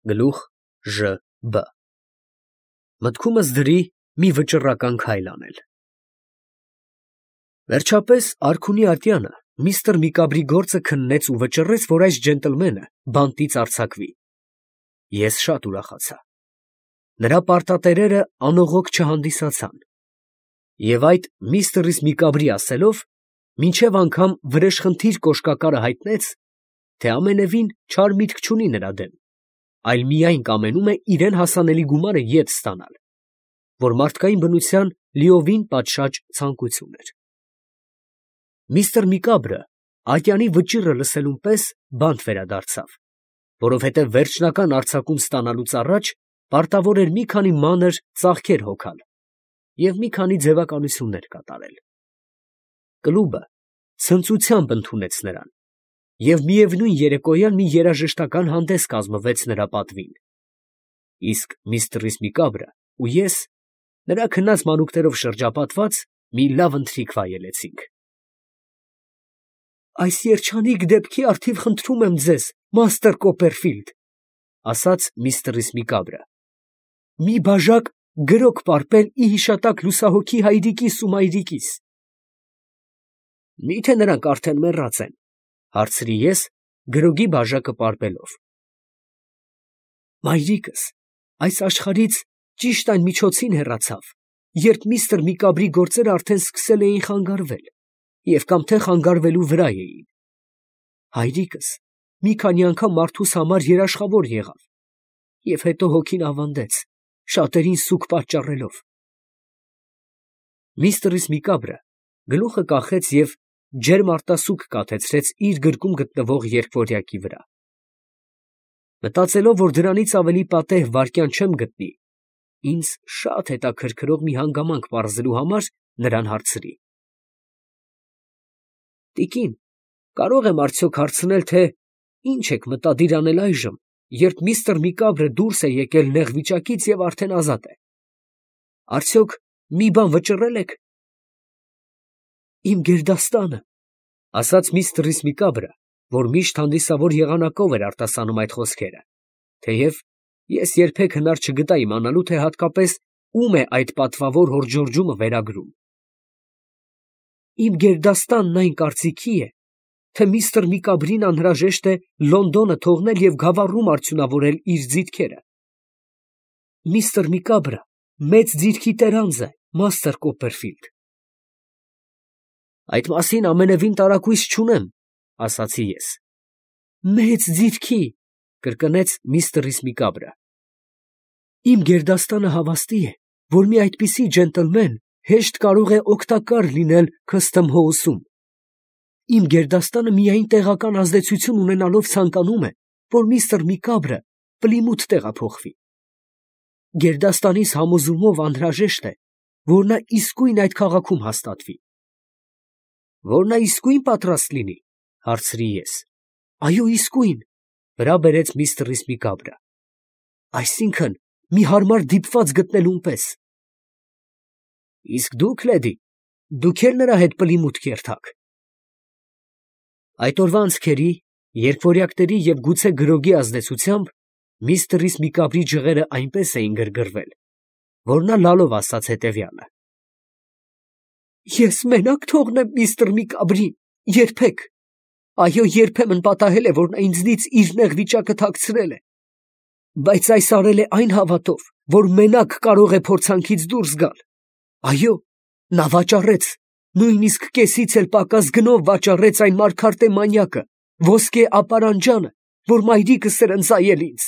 Գլուխ Ժ Բ Մտքումս դրի մի վճռական քայլ անել։ Վերջապես արքունի ատյանը միստր Միկաբրի գործը քննեց ու վճռեց, որ այս ջենտլմենը բանտից արձակվի։ Ես շատ ուրախացա։ Նրա պարտատերերը անողոք չհանդիսացան։ Եվ այդ միստր Միկաբրի ասելով, մինչև անգամ վրեժխնդիր կոշկակարը հայտնեց, թե ամենևին չար միտք չունի նրա դեմ, այլ միայն կամենում է իրեն հասանելի գումարը ետ ստանալ, որ մարդկային բնության լիովին պատշաճ ցանկություն էր։ Միստր Միկաբրը ատյանի վճիռը լսելուն պես բանտ վերադարձավ, որովհետև վերջնական արձակում ստանալուց առաջ պարտավոր էր մի քանի մանր ծախքեր հոգալ և մի քանի ձևականություններ կատարել։ Կլուբը ցնծությամբ ընդունեց նրան, և միևնույն երեկոյան մի երաժշտական հանդես կազմվեց նրա պատվին, իսկ միստր Միկաբրը ու ես, նրա քնած մանուկներով շրջապատված, մի լավ ընթրիք վայելեցինք։ «Այս երջանիկ դեպքի առթիվ խնդրում եմ ձեզ, մաստր Կոպերֆիլդ, ֊ ասաց միստր Միկաբրը, ֊ մի բաժակ գրոկ պարպել ի հիշատակ լուսահոգի հայրիկիս ու մայրիկիս»։ «Մի՞թե նրանք արդեն մեռած են, ֊ հարցրի ես, գրոգի բաժակը պարպելով։ ֊ Մայրիկս այս աշխարհից ճիշտ այն միջոցին հեռացավ, երբ միստր Միկաբրի գործերը արդեն սկսել էին խանգարվել և կամ թե խանգարվելու վրա էին։ Հայրիկս մի քանի անգամ մարդուս համար երաշխավոր եղավ և հետո հոգին ավանդեց, շատերին սուգ պատճառելով»։ Միստր Միկաբրը գլուխը կախեց և ջերմ արտասուք կաթեցրեց իր գրկում գտնվող երկվորյակի վրա։ Մտածելով, որ դրանից ավելի պատեհ վայրկյան չեմ գտնի ինձ շատ հետաքրքրող մի հանգամանք պարզելու համար, նրան հարցրի. «Տիկին, կարող եմ արդյոք հարցնել, թե ինչ եք մտադիր անել այժմ, երբ միստր Միկաբրը դուրս է եկել նեղ վիճակից և արդեն ազատ է։ Արդյոք մի բան վճռել եք»։ «Իմ գերդաստանը, ֊ ասաց միստր Միկաբրը, որ միշտ հանդիսավոր եղանակով էր արտասանում այդ խոսքերը, թեև ես երբեք հնար չգտա իմանալու, թե հատկապես ում է այդ պատվավոր հորդորջումը վերագրում։ Իմ գերդաստանն այն կարծիքի է, թե միստր Միկաբրին անհրաժեշտ է Լոնդոնը թողնել և Գավառում արդյունավորել իր ձիթքերը։ Միստր Միկաբրը մեծ ձիրքի տերանձ է, մաստր Կոպերֆիլդ»։ «Այդ մասին ամենևին տարակույս չունեմ, ֊ ասացի ես։ ֊ Մեծ ձիրքի, ֊ կրկնեց միստր Միկաբրը։ ֊ Իմ գերդաստանը հավաստի է, որ մի այդպիսի ջենտլմեն հեշտ կարող է օգտակար լինել Քըստմ Հոուսում։ Իմ գերդաստանը միայն տեղական ազդեցություն ունենալով ցանկանում է, որ միստր Միկաբրը Պլիմութ տեղափոխվի։ Գերդաստանիս համոզումով անհրաժեշտ է, որ նա իսկույն այդ քաղաքում հաստատվի։ «Որ նա իսկույն պատրաստ լինի, ֊ հարցրի ես։ ֊ Այո, իսկույն, ֊ վրա բերեց միստր Միկաբրը։ ֊ Այսինքն մի հարմար դիպված գտնելուն պես։ Իսկ դուք, լեդի, դուք էլ նրա հետ Պլիմութ կերթաք։ Այդ օրվա անցքերի, երկվորյակների և գուցե գրոգի ազդեցությամբ միստր Միկաբրի ջղերը այնպես էին գրգռվել, որ նա լալով ասաց հետևյալը. «Ես մենակ թողնեմ միստր Միկաբրին, երբեք։ Այո, երբեմն պատահել է, որ նա ինձնից իր նեղ վիճակը թաքցրել է, բայց այս արել է այն հավատով, որ մենակ կարող է փորձանքից դուրս գալ։ Այո, նա վաճառեց, նույնիսկ կեսից էլ պակաս գնով վաճառեց այն մարգարտե մանյակը, ոսկե ապարանջանը, որ մայրիկս էր ընծայել ինձ։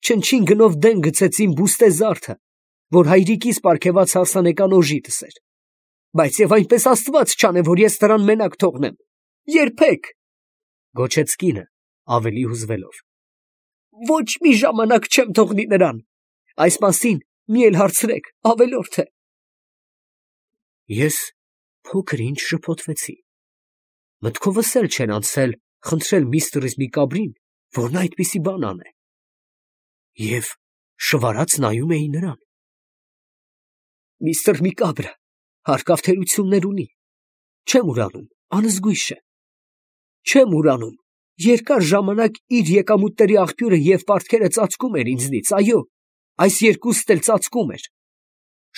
Չնչին գնով դեն գցեց իմ բուստե զարդը, որ հայրիկիս պարգևած հարսանեկան օժիտս էր, բայց և այնպես Աստված չանե, որ ես նրան մենակ թողնեմ, երբեք, ֊ գոչեց կինը, ավելի հուզվելով։ Ոչ մի ժամանակ չեմ թողնի նրան, այս մասին մի էլ հարցրեք, ավելորդ է։ Ես փոքր ինչ շփոթվեցի։ Մտքովս էլ չէր անցել խնդրել միստր Միկաբրին, որ նա այդպիսի բան անե, և շվարած նայում էի նրան։ Միստր Միկաբրը հարկավ թերություններ ունի, չեմ ուրանում, անզգույշ է։ Չեմ ուրանում Երկար ժամանակ իր եկամուտների աղբյուրը և պարտքերը ծածկում էր ինձնից, այո, այս երկուստ էլ ծածկում էր,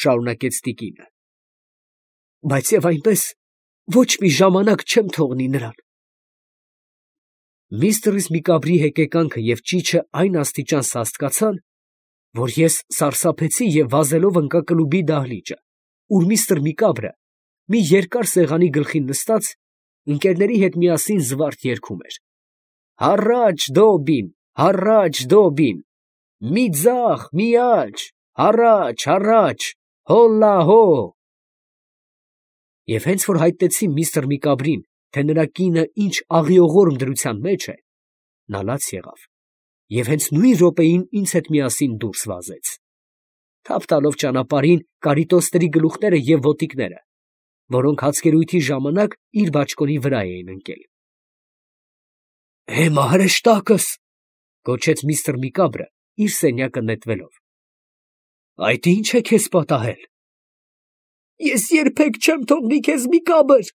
շարունակեց տիկինը. բայց և այնպես ոչ մի ժամանակ չեմ թողնի նրան։ Միստր Միկաբրի հեկեկանքը և ճիչը այն աստիճան սաստկացան, որ ես սարսափեցի և վազելով ընկա կլուբի դահլիճը, ուր միստր Միկաբրը մի երկար սեղանի գլխին նստած ընկերների հետ միասին զվարթ երգում էր. «Հառաչ Դոբին, հառաչ Դոբին, մի ձախ, մի աջ, հառաչ, հառաչ, հոլլա հո»։ Եվ հենց որ հայտնեցի միստր Միկաբրին, թե նրա կինը ինչ աղիողորմ դրության մեջ է, նա լաց եղավ և հենց նույն րոպեին ինձ հետ միասին դուրս վազեց, թափ տալով ճանապարհին կարիտոսների գլուխները և ոտիկները, որոնք հացկերույթի ժամանակ իր բաճկոնի վրա էին ընկել։ «Էմա հրեշտակս», գոչեց միստր Միկաբրը իր սենյակը նետվելով։ «Այդ ի՞նչ է քեզ պատահել»։ «Ես երբեք չեմ թողնի քեզ, Միկաբր»,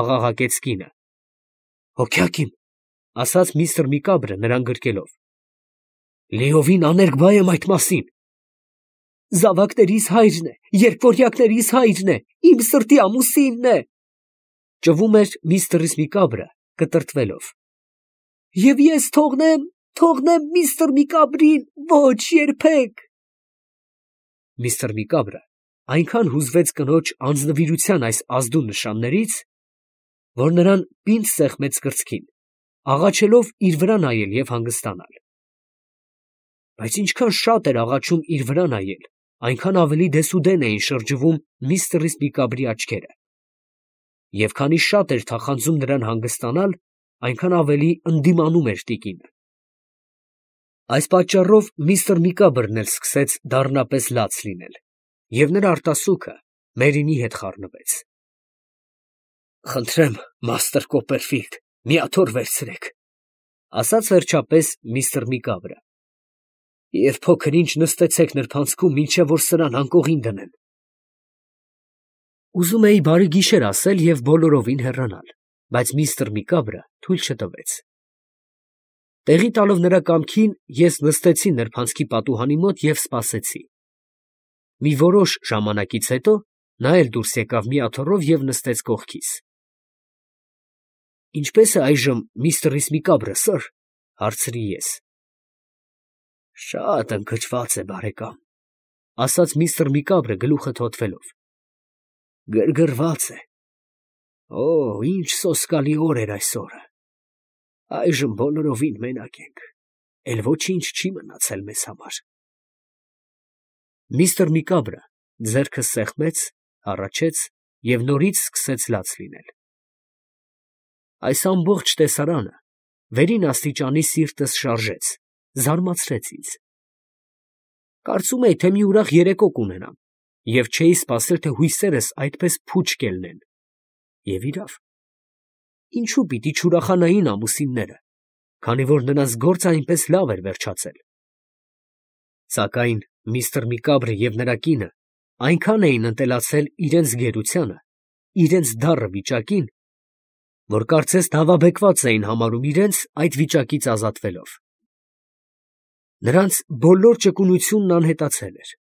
աղաղակեց կինը։ «Հոգյակ իմ», ասաց միստր Միկաբրը նրան գրկելով, «լիովին աներկբա եմ այդ մասին»։ «Զավակներիս հայրն է, երկվորյակներիս հայրն է, իմ սրտի ամուսինն է», ճվում էր միստր Միկաբրը կտրտվելով։ «Եվ ես թողնեմ միստր Միկաբրին, ոչ, երբեք»։ Միստր Միկաբրը այնքան հուզվեց կնոջ անձնվիրության այս ազդու նշաններից, որ նրան պինդ սեղմեց կրծքին, աղաչելով իր վրա նայել և հանգստանալ։ Բայց ինչքան շատ էր աղաչում իր վրա նայել, այնքան ավելի դեսուդեն էին շրջվում միստր Միկաբրի աչքերը, և քանի շատ էր թախանձում նրան հանգստանալ, այնքան ավելի ընդդիմանում էր տիկինը։ Այս պատճառով միստր Միկաբրն էլ սկսեց դառնապես լաց լինել, և նրա արտասուքը Մերինի հետ խառնվեց։ «Խնդրեմ, մաստր Կոպերֆիլդ, մի աթոռ վերցրեք», ասաց վերջապես միստր Միկաբրը, «և փոքր ինչ նստեցեք նրբանցքում, մինչև որ սրան անկողին դնեն»։ Ուզում էի բարի գիշեր ասել և բոլորովին հեռանալ, բայց միստր Միկաբրը թույլ չտվեց։ Տեղի տալով նրա կամքին, ես նստեցի նրբանցքի պատուհանի մոտ և սպասեցի։ Մի որոշ ժամանակից հետո նա էլ դուրս եկավ մի աթոռով և նստեց կողքիս։ «Ինչպե՞ս է այժմ միստր Միկաբրը, սըր», հարցրի ես։ «Շատ ընկճված է, բարեկամ», ասաց միստր Միկաբրը գլուխը թոթվելով։ «Գրգռված է։ Օ, ինչ սոսկալի օր էր այս օրը։ Այժմ բոլորովին մենակ ենք, էլ ոչինչ չի մնացել մեզ համար»։ Միստր Միկաբրը ձեռքը սեղմեց, հառաչեց և նորից սկսեց լաց լինել։ Այս ամբողջ տեսարանը վերին աստիճանի սիրտս շարժեց, զարմացրեց ինձ։ Կարծում էի, թե մի ուրախ երեկո կունենամ, և չէի սպասել, թե հույսերս այդպես փուչ կելնեն։ Եվ իրավ, ինչու պիտի չուրախանային ամուսինները, քանի որ նրանց գործը այնպես լավ էր վերջացել։ Սակայն միստր Միկաբրը և նրա կինը այնքան էին ընտելացել իրենց գերությանը, իրենց դառը վիճակին, որ կարծես դավաբեկված էին համարում իրենց այդ վիճակից ազատվելով։ Նրանց բոլոր ճկունությունն անհետացել էր,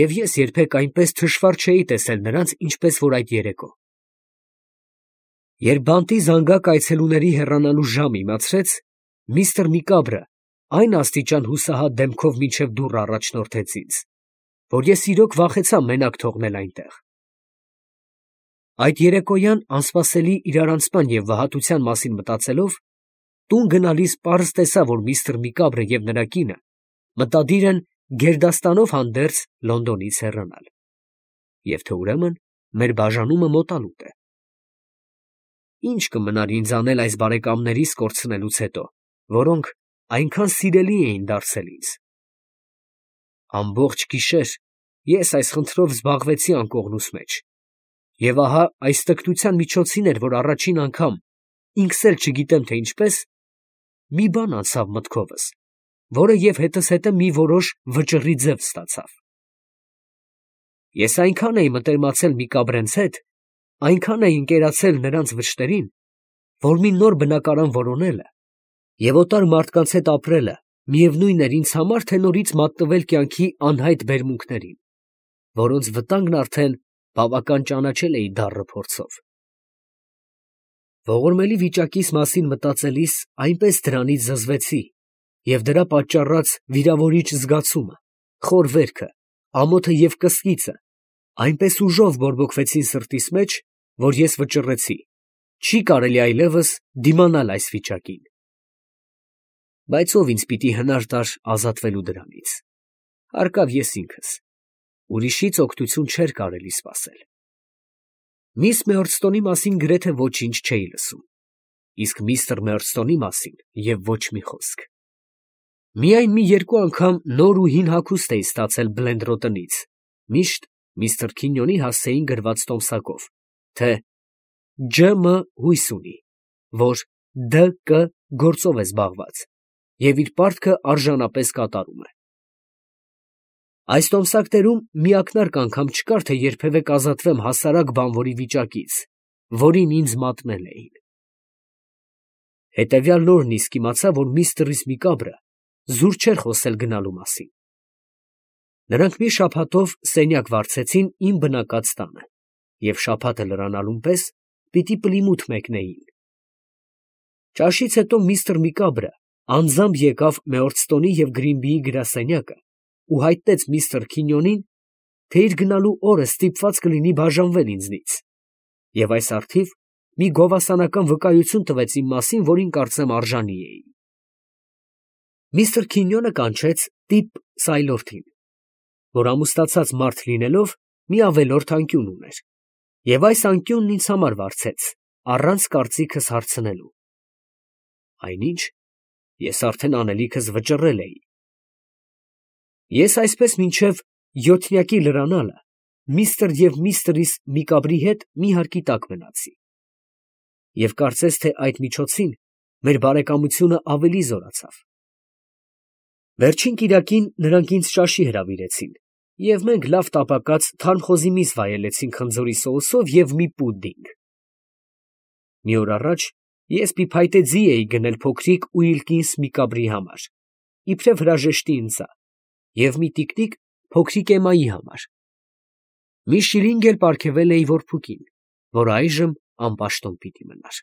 և ես երբեք այնպես թշվառ չէի տեսել նրանց, ինչպես որ այդ երեկո։ Երբ բանտի զանգակ այցելուների հեռանալու ժամը իմացրեց, միստր Միկաբրը այն աստիճան հուսահատ դեմքով մինչև դուռը առաջնորդեց ինձ, որ ես իրոք վախեցա մենակ թողնել այնտեղ։ Այդ երեկոյան անսպասելի իրարանցման և վհատության մասին մտածելով, տուն գնալիս պարզ տեսա, որ միստր Միկաբրը և նրա կինը մտադիր են գերդաստանով հանդերձ Լոնդոնից հեռանալ, և թե ուրեմն մեր բաժանումը մոտալուտ է։ Ի՞նչ կմնար ինձ անել այս բարեկամներիս կորցնելուց հետո, որոնք այնքան սիրելի էին դարձել ինձ։ Ամբողջ գիշեր ես այս խնդրով զբաղվեցի անկողնուս մեջ, և ահա այս տգնության միջոցին էր, որ առաջին անգամ, ինքս էլ չգիտեմ, թե ինչպես, մի բան անցավ մտքովս, որը և հետզհետե մի որոշ վճռի ձև ստացավ։ Ես այնքան էի մտերմացել Միկաբրենց հետ, այնքան էի ընկերացել նրանց վշտերին, որ մի նոր բնակարան որոնելը Եվ օտար մարդկանց հետ ապրելը միևնույն էր ինձ համար, թե նորից մատնվել կյանքի անհայտ բերմունքներին, որոնց վտանգն արդեն բավական ճանաչել էի դառը փորձով։ Ողորմելի վիճակիս մասին մտածելիս այնպես դրանից զզվեցի, և դրա պատճառած վիրավորիչ զգացումը, խոր վերքը, ամոթը և կսկիծը այնպես ուժով բորբոքվեցին սրտիս մեջ, որ ես վճռեցի, չի կարելի այլևս դիմանալ այս վիճակին։ Բայց ով ինձ պիտի հնար տար ազատվելու դրանից։ Հարկավ ես ինքս, ուրիշից օգնություն չէր կարելի սպասել։ Միս Մեորստոնի մասին գրեթե ոչինչ չէի լսում, իսկ միստր Մեորստոնի մասին և ոչ մի խոսք։ Միայն մի երկու անգամ նոր ու հին հագուստ էի ստացել Բլենդրոտնից, միշտ միստր Քինյոնի հասցեին գրված տոմսակով, թե Ջ.Մ. հույս ունի, որ D.Կ. գործով է զբաղված և իր պարտքը արժանապես կատարում է։ Այս տոմսակներում մի ակնարկ անգամ չկար, թե երբևէ կազատվեմ հասարակ բանվորի վիճակից, որին ինձ մատնել էին։ Հետևյալ օրն իսկ իմացա, որ միստր Միկաբրը զուր չէր խոսել գնալու մասին։ Նրանք մի շաբաթով սենյակ վարձեցին իմ բնակած տանը, և շաբաթը լրանալուն պես պիտի Պլիմութ մեկնեին։ Ճաշից հետո միստր Միկաբրը անձամբ եկավ Մեորդստոնի և Գրինբիի գրասենյակը ու հայտնեց միստր Քինյոնին, թե իր գնալու օրը ստիպված կլինի բաժանվել ինձնից, և այս առթիվ մի գովասանական վկայություն տվեց իմ մասին, որին կարծեմ արժանի էի։ Միստր Քինյոնը կանչեց տիպ Սայլորթին, որ ամուսնացած մարդ լինելով մի ավելորդ անկյուն ուներ, և այս անկյունն ինձ համար վարձեց, առանց կարծիքս հարցնելու։ Այնինչ, ես արդեն անելիքս վճռել էի։ Ես այսպես մինչև յոթնյակի լրանալը միստր և միստրիս Միկաբրի հետ մի հարկի տակ մնացի, և կարծես թե այդ միջոցին մեր բարեկամությունը ավելի զորացավ։ Վերջին կիրակին նրանք ինձ ճաշի հրավիրեցին, և մենք լավ տապակած թարմ խոզի միս վայելեցինք խնձորի սոուսով և մի պուդինգ։ Մի օր առաջ ես փիփայտե ձի էի գնել փոքրիկ Ուիլկինս Միկաբրի համար, իբրև հրաժեշտի ինձա, և մի տիկնիկ փոքրիկ Էմմայի համար։ Մի շիլինգ էլ պարգևել էի որբուկին, որ այժմ անպաշտոն պիտի մնար։